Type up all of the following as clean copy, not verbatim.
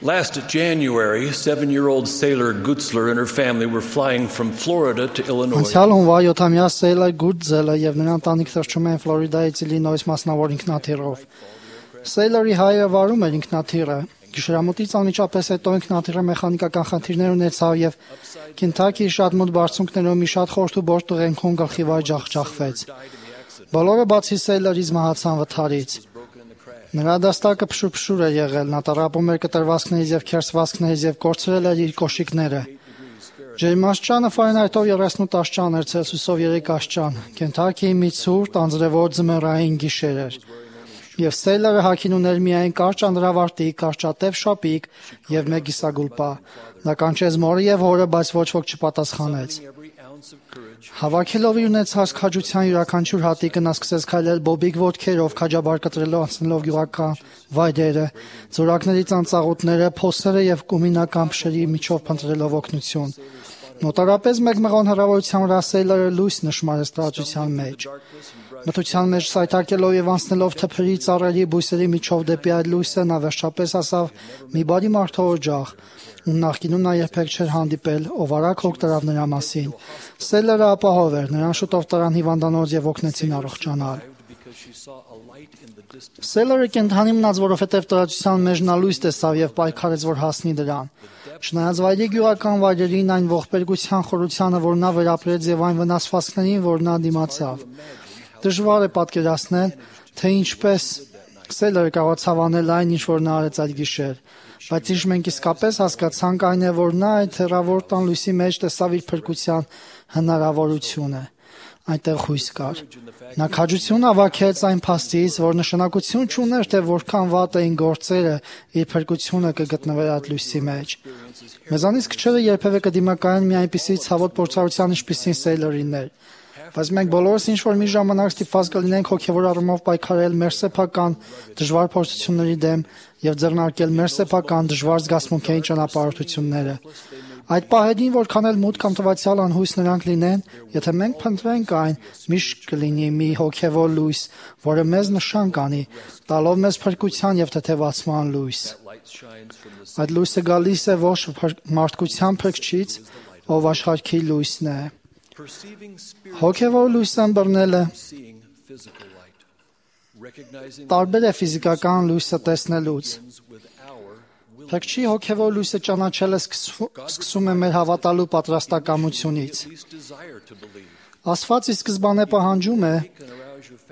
Last January, 7-year-old Sailor Gutzler and her family were flying from Florida to Illinois. Անցյալ հունվար 7-ամյա Սեյլա Գուտզելը եւ նրա ընտանիքը թռչում են Ֆլորիդայից Իլինոյս մասնավոր ինքնաթիռով։ Սեյլերի հայրը վարում էր ինքնաթիռը։ Գիշերամուտից անմիջապես հետո ինքնաթիռը մեխանիկական խնդիրներ ունեցավ եւ Քենթաքիի շատ մոտ բարձունքներով մի շատ խորտ ու բորտ տղենքում գլխիվար ջախջախվեց։ Բոլորը բացի Սեյլերից մահացան վթարից։ Նրա դաստակը փշուր է եղել, նա տառապում էր կտրվածքներից եւ քերծվածքներից եւ կորցրել էր իր կոշիկները։ Ջերմաստիճանը Ֆարենհայթով 38 աստիճան էր, Ցելսիուսով 3 աստիճան։ Քենթաքիի մի ցուրտ անձրևոտ ձմեռային գիշեր էր։ Եվ Սեյլերը հագին ուներ միայն կարճ անդրավարտիք, կարճատև շապիկ եւ մեկ կիսագուլպա։ Նա կանչեց մորը եւ հորը, բայց ոչ ոք չպատասխանեց։ Հավաքելով իր ունեցած քաջության յուրաքանչյուր հատիկը նա սկսեց քայլել բոբիկ ոտքերով, քաջաբար կտրելով անցնելով գյուղական վայրերը, ձորակների ծանծաղուտները, փոսերը եւ կումինական փշերի միջով փնտրելով օգնություն։ Մոտարապես մեկ մղոն հեռավորության վրա Սեյլերը լույս նշմարեց տարածության մեջ։ Մթության մեջ սայթաքելով եւ անցնելով թփերի, ծառերի, բույսերի միջով դեպի այդ լույսը նա վերջապես հասավ մի բարի մարդու օջախ, ում նախկինում նա երբեք չէր հանդիպել, ով արագ հոգ տարավ նրա մասին։ Սեյլերը ապահով էր, նրան շուտով տարան հիվանդանոց եւ օգնեցին առողջանալ։ Սեյլերը կենդանի մնաց, որովհետեւ տարածության մեջ նա լույս տեսավ եւ պայքարեց, որ հասնի դրան։ Չնայած վայրի գյուղական վայրերին, այն ողբերգության խորությանը, որ նա վերապրեց եւ այն վնասվածքներին, որ նա դիմացավ։ Դժվար է պատկերացնել, թե ինչպես Սեյլերը կարողացավ անել այն, ինչ որ նա արեց այդ գիշեր, բայց ինչ մենք իսկապես հասկացանք այն է, որ նա այդ հեռավոր տան լույսի մեջ տեսավ իր փրկության հնարավորությունը։ Այնտեղ հույս կար։ Նա քաջություն հավաքեց այն փաստից, որ նշանակություն չուներ, թե որքան վատ էին գործերը, իր փրկությունը կգտնվեր այդ լույսի մեջ։ Մեզանից քչերը երբևէ կդիմակայեն մի այնպիսի ցավոտ փորձառության, ինչպիսին Սեյլերին էր։ Բայց մենք բոլորս ինչ-որ մի ժամանակ ստիպված կլինենք հոգևոր առումով պայքարել մեր սեփական դժվար փորձությունների դեմ եւ ձեռնարկել մեր սեփական դժվար զգացմունքային ճանապարհորդությունները։ Այդ պահերին, որքան էլ մութ կամ տվյալ անհույս նրանք լինեն, եթե մենք փնտրենք այն, միշտ կլինի մի հոգևոր լույս, որը մեզ նշան կանի, տալով մեզ փրկության եւ թեթևացման լույս։ Այդ լույսը գալիս է ոչ մարդկության փրկչից, ով աշխարհի լույսն է։ Հոգևոր լույսը ըմբռնելը տարբեր է ֆիզիկական լույսը տեսնելուց։ Փրկչի հոգևոր լույսը ճանաչելը սկսում է մեր հավատալու պատրաստակամությունից։ Աստված ի սկզբանե պահանջում է,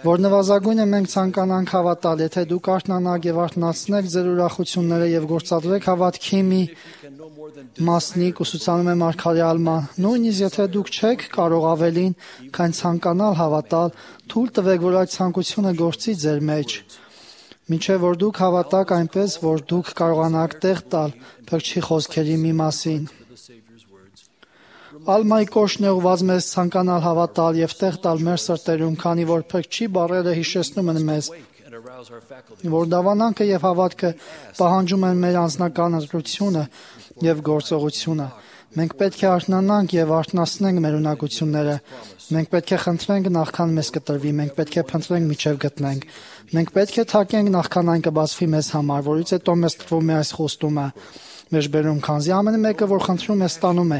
որ նվազագույնը մենք ցանկանանք հավատալ, եթե դուք արթնանաք եւ արթնացնեք ձեր ուրախությունները եւ գործադրեք հավատքի մի մասնիկ ուսուցանում է Մարգարե Ալման, նույնիսկ եթե դուք չեք կարող ավելին, քան ցանկանալ հավատալ, թույլ տվեք, որ այդ ցանկությունը գործի ձեր մեջ, մինչև որ դուք հավատաք այնպես, որ դուք կարողանաք տեղ տալ Փրկչի խոսքերի մի մասին։ Ալմայի կոչն է ուղղված մեզ ցանկանալ հավատալ եւ տեղ տալ մեր սրտերում, քանի որ Փրկչի բառերը հիշեցնում են մեզ, որ դավանանքը եւ հավատքը պահանջում են մեր անձնական ընտրությունը եւ գործողությունը։ Մենք պետք է արթնանանք եւ արթնացնենք մեր ունակությունները։ Մենք պետք է խնդրենք նախքան մեզ կտրվի, մենք պետք է փնտրենք միջև գտնենք։ Մենք պետք է թակենք նախքան այն կբացվի մեզ համար, որից հետո մեզ տրվում է այս խոստումը։ Մեջբերում, քանզի ամեն մեկը, որ խնդրում է, ստանում է,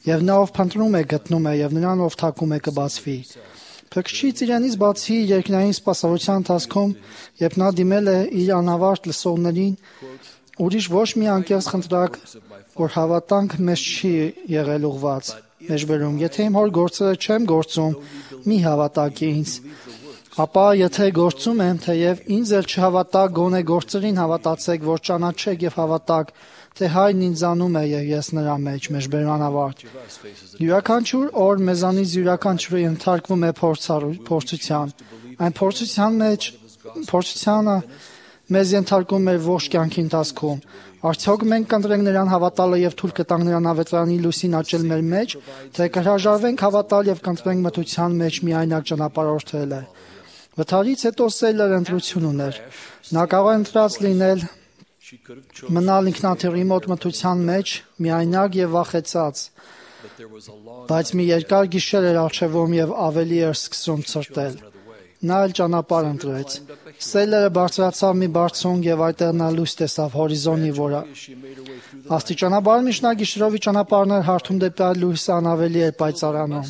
եւ նա ով փնտրում է, գտնում է, եւ նրան ով թակում է, կբացվի։ Փրկչից իրենից բացի երկնային սպասավորության ընթացքում, երբ նա դիմել է իր անավարտ լսողներին, ուրիշ ոչ մի անկեղծ խնդրակ, որ հավատանք մեզ չի եղել ուղված։ Մեջբերում, եթե իմ հոր գործերը չեմ գործում, մի հավատաք ինձ։ Ապա եթե գործում եմ, թեև ինձ էլ չհավատա, գոնե գործերին հավատացեք, որ ճանաչեք եւ հավատաք, թե Հայրն ինձանում է եւ ես նրա մեջ։ Մեջբերման ավարտ։ Յուրաքանչյուր օր մեզանից յուրաքանչյուրը ենթարկվում է փորձության։ Այն փորձությանը մեզ ենթարկում է ողջ կյանքի ընթացքում։ Արդյոք մենք կընտրենք նրան հավատալը եւ թույլ կտանք նրան ավետարանի լույսին աճել մեր մեջ, թե կհրաժարվենք հավատալ եւ կընտրենք մթության մեջ միայնակ ճանապարհորդելը։ Վթարից հետո Սեյլերը ընտրություն ուներ։ Նա կարող ընտրած լինել մնալ ինքնաթիռի մոտ մթության մեջ, միայնակ եւ վախեցած, բայց մի երկար գիշեր էր առջևում եւ ավելի էր սկսում ցրտել։ Նա էլ ճանապարհ ընտրեց։ Սեյլերը բարձրացավ մի բարձունք եւ այդտեղ նա լույս տեսավ հորիզոնի վրա։ Աստիճանաբար միշտ նա գիշերովի ճանապարհներ հարթում դեպի այլ լույսը անավելի էր պայծառանում։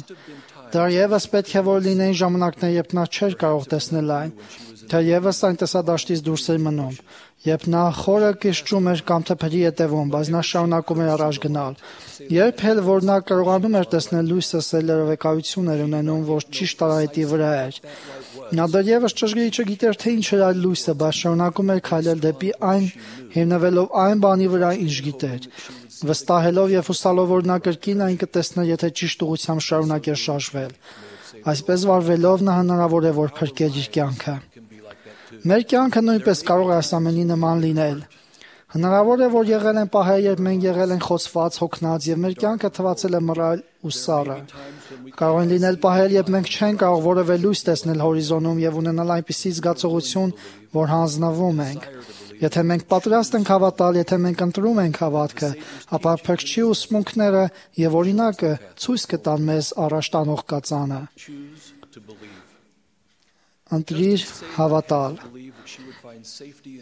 Դեռևս պետք է որ լինեին ժամանակներ, երբ նա չէր կարող տեսնել այն, թեևս այն տեսադաշտից դուրս էր մնում, երբ նա խորը կշճում էր կամ թփերի ետևում, բայց նա շարունակում էր առաջ գնալ։ Երբ էլ որ նա կարողանում էր տեսնել լույսը, Սեյլերը վկայություն էր ունենում, որ ճիշտ արահետի վրա էր։ Նա դեռևս ճշգրիտ չգիտեր, թե ինչ էր այդ լույսը, բայց շարունակում էր քայլել դեպի այն, հիմնվելով այն բանի վրա, ինչ գիտեր, վստահելով եւ հուսալով, որ նա կրկին այն կտեսներ, եթե ճիշտ ուղղությամբ շարունակեր շարժվել։ Այսպես վարվելով նա հնարավոր է որ փրկեր իր կյանքը։ Մեր կյանքը նույնպես կարող է այս ամենի նման լինել։ Հնարավոր է որ եղել են պահեր, երբ մենք եղել ենք խոցված, հոգնած եւ մեր կյանքը թվացել է մռայլ ու սառը։ Կարող են լինել պահեր, երբ մենք չենք կարող որևէ լույս տեսնել հորիզոնում եւ ունենալ այնպիսի զգացողություն, որ հանձնվում ենք։ Եթե մենք պատրաստ ենք հավատալ, եթե մենք ընտրում ենք հավատքը, ապա Փրկչի ուսմունքները եւ օրինակը ցույց կտան մեզ առաջ տանող կածանը։ Ընտրիր հավատալ։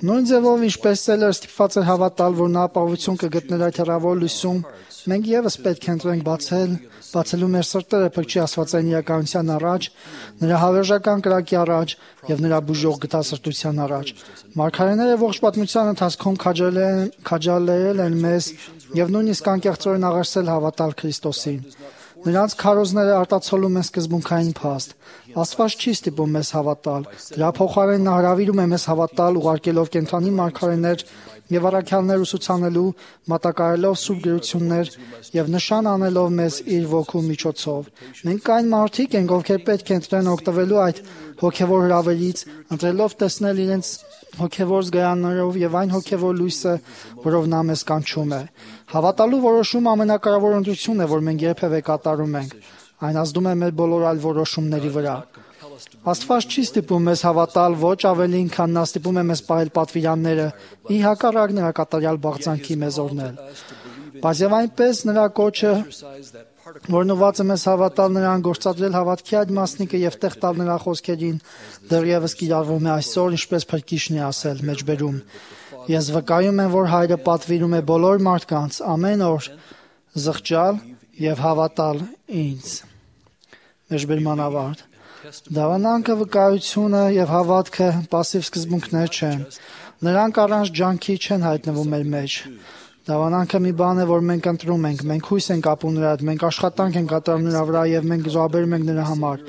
Նույն ձևով ինչպես Սեյլերը ստիպված էր հավատալ, որ նա ապահովություն կգտներ այդ հեռավոր լույսում, մենք եւս պետք է ընտրենք բացելու մեր սրտերը Փրկչի աստվածային իրականության առաջ, նրա հավերժական կրակի առաջ եւ նրա բուժող գթասրտության առաջ։ Մարգարեները ողջ պատմության ընթացքում քաջալերել են մեզ եւ նույնիսկ անկեղծորեն աղերսել հավատալ Քրիստոսին։ Նրանց քարոզները արտացոլում են սկզբունքային փաստ։ Աստված չի ստիպում մեզ հավատալ։ Դրա փոխարեն նա հրավիրում է մեզ հավատալ, ուղարկելով կենդանի մարգարեներ եւ առաքյալներ ուսուցանելու, մատակարարելով սուրբ գրություններ եւ նշան անելով մեզ իր ոգու միջոցով։ Մենք այն մարդիկ ենք, ովքեր պետք է ընտրեն օգտվելու այդ հոգեվոր հրավերից, ընտրելով տեսնել իրենց հոգեվոր զգայաններով եւ այն հոգեվոր լույսը, որով նա մեզ կանչում է։ Հավատալու որոշումը ամենակարևոր ընտրությունն է, որ մենք երբևէ կատարում ենք։ Այն ազդում է մեր բոլոր այլ որոշումների վրա։ Աստված չի ստիպում մեզ հավատալ ոչ ավելին, քան նա ստիպում է մեզ պահել պատվիրանները, ի հակառակ նրա կատարյալ բաղձանքի մեզ օրհնել։ Բայց եւ այնպես նրա կոչը, որն ուղղված է մեզ հավատալ նրան, գործադրել հավատքի այդ մասնիկը եւ տեղ տալ նրա խոսքերին, դեռևս կիրառվում է այսօր, ինչպես Փրկիչն է ասել մեջբերում։ Ես վկայում եմ, որ Հայրը պատվիրում է բոլոր մարդկանց ամեն օր զղջալ եւ հավատալ ինձ։ Մեջբերման ավարտ։ Դավանանքը, վկայությունը եւ հավատքը պասիվ սկզբունքներ չեն։ Նրանք առանց ջանքի չեն հայտնվում մեր մեջ։ Դավանանքը մի բան է, որ մենք ընտրում ենք, մենք հույս ենք ապրում նրա հետ, մենք աշխատանք ենք կատարում նրա վրա եւ մենք զոհաբերում ենք նրա համար։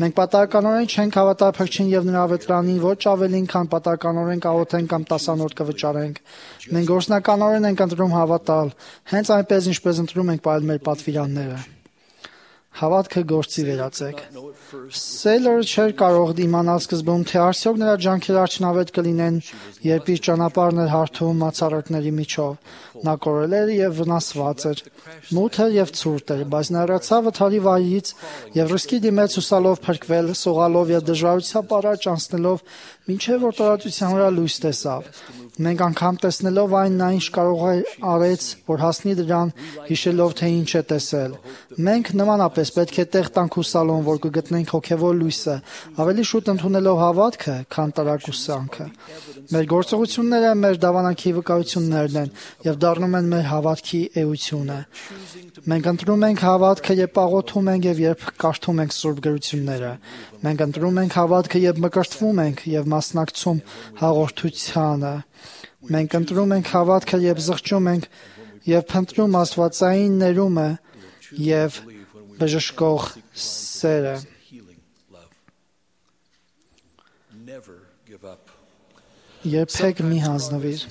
Մենք պատահականորեն չենք հավատալ Փրկչին եւ նրա ավետարանին, ոչ ավելին, քան պատահականորեն կաղոթենք կամ տասանորդ կվճարենք։ Մենք գործնականորեն ենք ընտրում հավատալ, հենց այնպես ինչպես ընտրում ենք պահել մեր պատվիրանները։ Հավատքը գործի վերածեք։ Սեյլերը չէր կարող իմանալ սկզբում, թե արդյոք նրա ջանքերը արդյունավետ կլինեն, երբ իր ճանապարհն էր հարթում մացառորդների միջով։ Նա կորել էր եւ վնասված էր, մութ էր եւ ցուրտ էր, բայց նա հեռացավ վթարի վայրից եւ ռիսկի դիմեց հուսալով փրկվել, սողալով եւ դժվարությամբ առաջ անցնելով, մինչեւ որ տարածության վրա լույս տեսավ։ Մենք անգամ տեսնելով այն նա ինչ կարող արեց, որ հասնի դրան, հիշելով թե ինչ է տեսել։ Մենք նմանապես պետք է տեղ տանք հուսալուն, որ կգտնենք հոգևոր լույսը, ավելի շուտ ընդունելով հավատքը, քան տարակուսանքը։ Մեր գործողությունները մեր դավանանքի վկայություններն են եւ դառնում են մեր հավատքի էությունը։ Մենք ընտրում ենք հավատքը, երբ աղոթում ենք եւ երբ կարդում ենք սուրբ գրությունները։ Մենք ընտրում ենք հավատքը, երբ մկրտվում ենք եւ մասնակցում հաղորդությանը։ Մենք ընտրում ենք հավատքը, երբ զղջում ենք եւ փնտրում աստվածային ներումը եւ բժշկող սերը։ Երբեք մի հանձնվիր։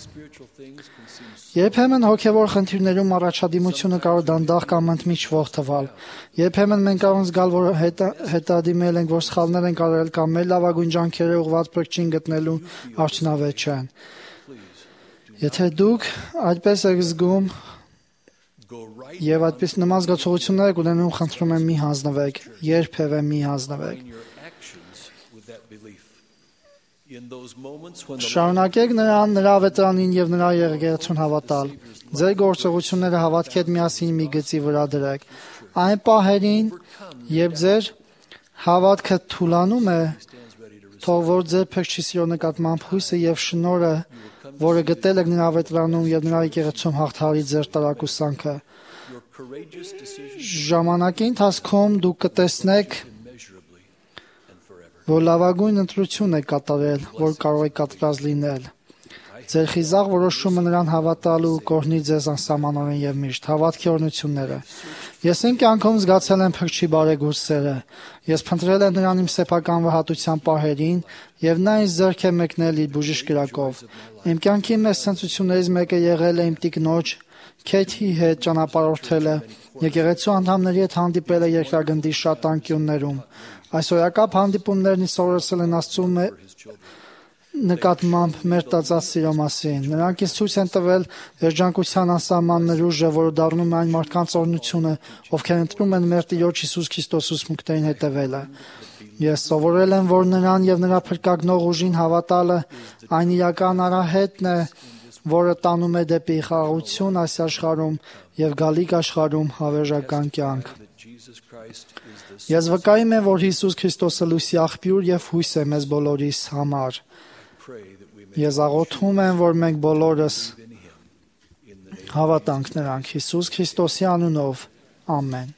Երբեմն հոգևոր խնդիրներում առաջադիմությունը կարող դանդաղ կամ ընդմիջվող թվալ։ Երբեմն մենք կարող ենք զգալ, որ հետադիմել ենք, որ սխալներ ենք արել կամ մեր լավագույն ջանքերը ուղղված Փրկչին գտնելու արդյունավետ չեն։ Եթե դուք այդպես եք զգում եւ այդպես նման զգացողություններ եք ունենում, խնդրում եմ մի հանձնվեք, երբևէ մի հանձնվեք։ Շարունակեք նրան, նրա ավետարանին եւ նրա եկեղեցուն հավատալ։ Ձեր գործողությունները հավատքի հետ միասին մի գծի վրա դրեք։ Այն պահերին, երբ ձեր հավատքը թուլանում է, Թող որ ձեր փրկչի սիրո նկատմամբ հույսը եւ շնորհը, որը գտել եք նրա ավետարանում եւ նրա եկեղեցում հաղթահարի ձեր տարակուսանքը։ Ժամանակի ընթացքում դուք կտեսնեք, որ լավագույն ընտրություն եք կատարել, որ կարող եք կատարած լինել։ Ձեր խիզախ որոշումը նրան հավատալու կօրհնի ձեզ անսահմանորեն եւ միշտ։ Հավատքի օրհնությունները։ Ես իմ կյանքում զգացել եմ փրկչի բարեգործ սերը։ Ես փնտրել եմ նրան իմ սեփական վհատության պահերին եւ նա ինձ ձեռք է մեկնել իր բուժիչ կրակով։ Իմ կյանքի մեծ ցնցություններից մեկը եղել է իմ տիկնոջ Քեյթի հետ ճանապարհորդելը, եկեղեցու անդամների հետ հանդիպելը երկրագնդի շատ անկյուններում։ Այսօրակապ հանդիպումներն սովորեցել են Աստծու նկատմամբ մեր տածած սիրո մասին։ Նրանք ինձ ցույց են տվել երջանկության անսահման ներուժը, որը դառնում է այն մարդկանց օրհնությունը, ովքեր ընտրում են մեր Տիրոջ Հիսուս Քրիստոսի ուսմունքներին հետևելը։ Ես սովորել եմ, որ նրան եւ նրա փրկագնող ուժին հավատալը այն իրական արահետն է, որը տանում է դեպի խաղաղություն այս աշխարհում եւ գալիք աշխարհում հավերժական կյանք։ Ես վկայում եմ, որ Հիսուս Քրիստոսը լույսի աղբյուր եւ հույս է մեզ բոլորիս համար։ Ես աղոթում եմ, որ մենք բոլորս հավատանք նրան Հիսուս Քրիստոսի անունով։ Ամեն։